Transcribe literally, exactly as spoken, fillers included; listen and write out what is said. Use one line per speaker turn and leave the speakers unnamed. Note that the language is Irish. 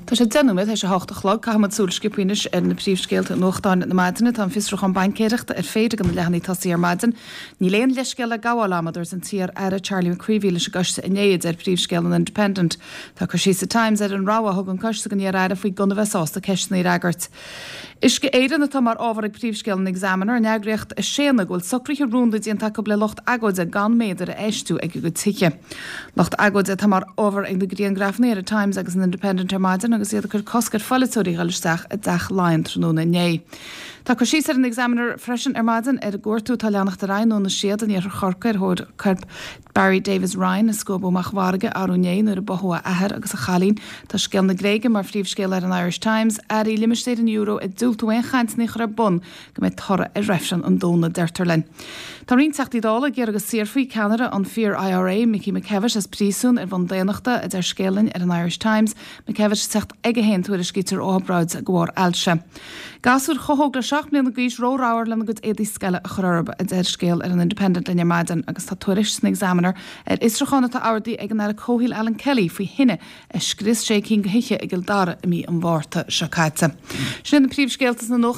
Tá sé deich nóiméad théis a hocht a chlog. Caithfimid súil sciobtha anois ar na príomhscéalta i nuachtáin na maidine. Tá an fiosrúchán baincéireachta ar féidir ag na leathanaigh tosaigh ar maidin. Níl aon leithscéal le gabháil agam, a dúirt an t-iar-aire Charlie McCreevy leis an gcoiste inné, a deir príomhscéal an Independent. Tá cur síos sa Times ar an rabhadh a thug an coiste don iar-aire faoi gan a bheith sásta ceisteanna a fhreagairt. Uisce Éireann atá mar ábhar ag príomhscéal an Examiner, an eagraíocht ag séanadh go bhfuil socruithe rúnda déanta acu le lucht agóide gan méadair a fheistiú ag a gcuid tithe. Lucht agóide atá mar ábhar ag na grianghrafanna ar an Times agus an Independent ar maidin agus iad ag cur cosc ar pholaiteoirí dhul isteach i dTeach Laighean tráthnóna inné. Tá cur síos ar an Examiner freisin ar maidin ar an gcuartú atá ag leanacht ar aghaidh i nDún na Séad in iarthar Chorcaí ar thóir corp Barry Davis Ryan a scuabadh amach an bhfarraige arú inné nuair a báthadh a athair agus a chailín. Tá scéal na Gréige mar phríomhscéal ar an Irish Times, Airí limistéir an euro ag diúltú aon chainteanna a chur ar bun go mbeidh toradh ar reifreann an Domhnaigh, deirtear linn. Tá roinnt Teachtaí Dála ag iarraidh go saorfaí ceannaire an Fíor IRA, Mickey McKevitt, as príosún ar bhonn daonnachta, a deir scéal linn ar an Irish Times. McKevitt ag teacht aige féin, tuairiscítear, ó obráid de bharr ailse. Gasúir chomh hóg le seacht mbliana d'aois ró-ramhar lena gcuid éadaí scoile a chur orthu, a deir scéal ar an Independent linn ar maidin agus tá tuairisc san Examiner ar fhiosrúchán atá ordaithe ag an Aire Comhshaoil Alan Kelly faoi thine a scrios sé cinn de thithe i gCill Dara i mí an Mhárta seo caite. Sin iad na príomhscéalta sna nuachtáin.